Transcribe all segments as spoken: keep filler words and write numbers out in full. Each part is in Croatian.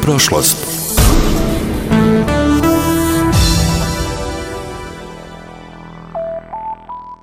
prošlost.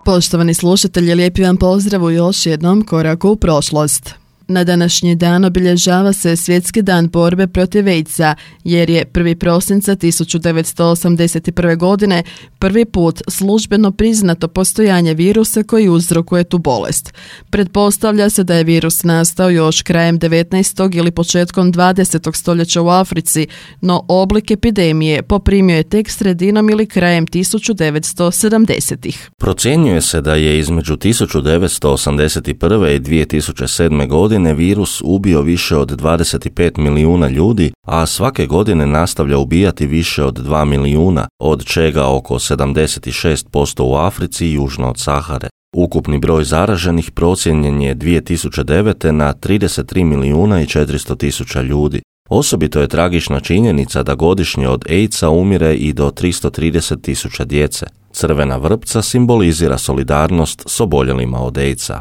Poštovani slušatelji, lijepi vam pozdrav u još jednom koraku u prošlost. Na današnji dan obilježava se Svjetski dan borbe protiv AIDS-a, jer je prvog prosinca tisuću devetsto osamdeset prve. godine prvi put službeno priznato postojanje virusa koji uzrokuje tu bolest. Pretpostavlja se da je virus nastao još krajem devetnaestog ili početkom dvadesetog stoljeća u Africi, no oblik epidemije poprimio je tek sredinom ili krajem tisuću devetsto sedamdesetih. Procjenjuje se da je između tisuću devetsto osamdeset prve. i dvije tisuće sedme. godine virus ubio više od dvadeset pet milijuna ljudi, a svake godine nastavlja ubijati više od dva milijuna, od čega oko sedamdeset šest posto u Africi i južno od Sahare. Ukupni broj zaraženih procijenjen je dvije tisuće devete. na trideset tri milijuna i četiristo tisuća ljudi. Osobito je tragična činjenica da godišnje od AIDS-a umire i do tristo trideset tisuća djece. Crvena vrpca simbolizira solidarnost s oboljelima od AIDS-a.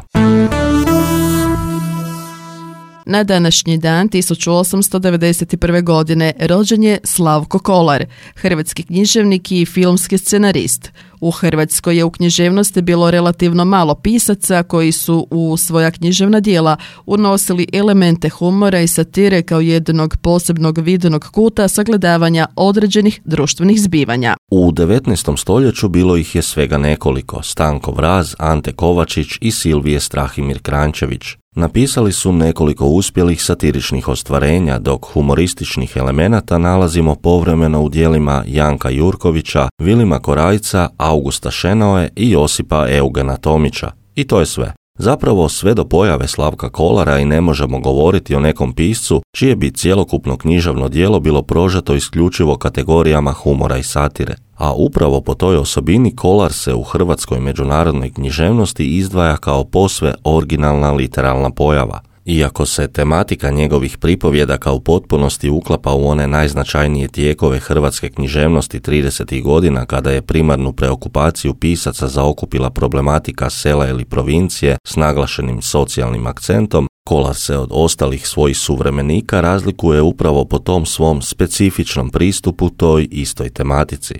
Na današnji dan tisuću osamsto devedeset prve. godine rođen je Slavko Kolar, hrvatski književnik i filmski scenarist. U Hrvatskoj je u književnosti bilo relativno malo pisaca koji su u svoja književna djela unosili elemente humora i satire kao jednog posebnog vidnog kuta sagledavanja određenih društvenih zbivanja. U devetnaestom stoljeću bilo ih je svega nekoliko: Stanko Vraz, Ante Kovačić i Silvije Strahimir Kranjčević. Napisali su nekoliko uspjelih satiričnih ostvarenja, dok humorističnih elemenata nalazimo povremeno u djelima Janka Jurkovića, Vilima Korajca, Augusta Šenoe i Josipa Eugena Tomića. I to je sve. Zapravo sve do pojave Slavka Kolara i ne možemo govoriti o nekom piscu čije bi cjelokupno književno djelo bilo prožeto isključivo kategorijama humora i satire. A upravo po toj osobini Kolar se u hrvatskoj međunarodnoj književnosti izdvaja kao posve originalna literalna pojava. Iako se tematika njegovih pripovjedaka u potpunosti uklapa u one najznačajnije tijekove hrvatske književnosti tridesetih godina, kada je primarnu preokupaciju pisaca zaokupila problematika sela ili provincije s naglašenim socijalnim akcentom, Kolar se od ostalih svojih suvremenika razlikuje upravo po tom svom specifičnom pristupu toj istoj tematici.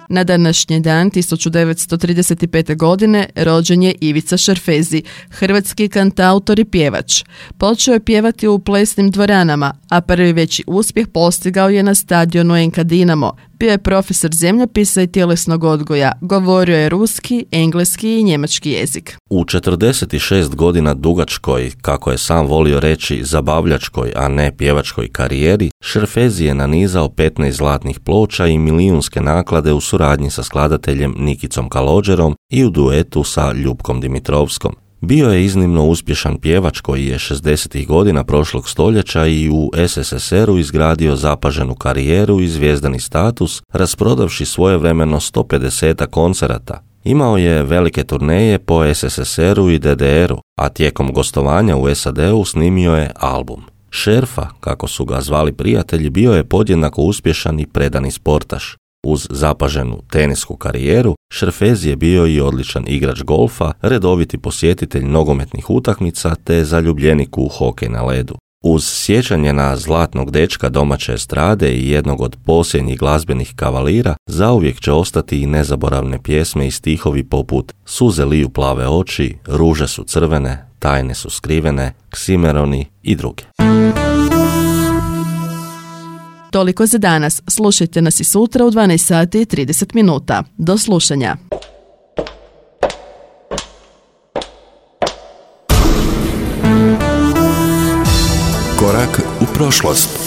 Na današnji dan tisuću devetsto trideset pete. godine rođen je Ivica Šerfezi, hrvatski kantautor i pjevač. Počeo je pjevati u plesnim dvoranama, a prvi veći uspjeh postigao je na stadionu en ka Dinamo. Bio je profesor zemljopisa i tjelesnog odgoja, govorio je ruski, engleski i njemački jezik. U četrdeset šest godina dugačkoj, kako je sam volio reći, zabavljačkoj, a ne pjevačkoj karijeri, Šerfezi je nanizao petnaest zlatnih ploča i milijunske naklade u suradnji sa skladateljem Nikicom Kalođerom i u duetu sa Ljupkom Dimitrovskom. Bio je iznimno uspješan pjevač koji je šezdesetih godina prošlog stoljeća i u es es es eru izgradio zapaženu karijeru i zvijezdani status, rasprodavši svojevremeno sto pedeset koncerata. Imao je velike turneje po es es es eru i de de eru, a tijekom gostovanja u es a de u snimio je album. Šerfa, kako su ga zvali prijatelji, bio je podjednako uspješan i predani sportaš. Uz zapaženu tenisku karijeru, Šerfezi je bio i odličan igrač golfa, redoviti posjetitelj nogometnih utakmica te zaljubljenik u hokej na ledu. Uz sjećanje na zlatnog dečka domaće estrade i jednog od posljednjih glazbenih kavalira, zauvijek će ostati i nezaboravne pjesme i stihovi poput Suze liju plave oči, Ruže su crvene, Tajne su skrivene, Ksimeroni i druge. Toliko za danas. Slušajte nas i sutra u dvanaest sati i trideset minuta. Do slušanja. Korak u prošlost.